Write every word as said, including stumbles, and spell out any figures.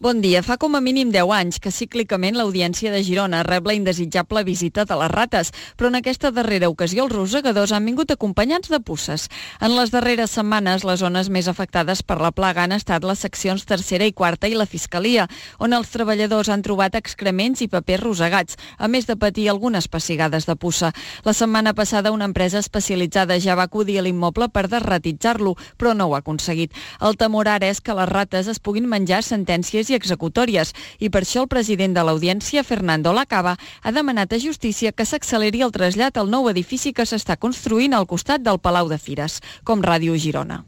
Bon dia. Fa com a mínim deu anys que cíclicament l'Audiència de Girona rep la indesitjable visita de les rates, però en aquesta darrera ocasió els rosegadors han vingut acompanyats de puces. En les darreres setmanes, les zones més afectades per la plaga han estat les seccions tercera i quarta i la Fiscalia, on els treballadors han trobat excrements i papers rosegats, a més de patir algunes pessigades de puça. La setmana passada una empresa especialitzada ja va acudir a l'immoble per desratitzar-lo, però no ho ha aconseguit. El temor ara és que les rates es puguin menjar sentències i executòries, i per això el president de l'Audiència, Fernando Lacaba, ha demanat a Justícia que s'acceleri el trasllat al nou edifici que s'està construint al costat del Palau de Fires, com Ràdio Girona.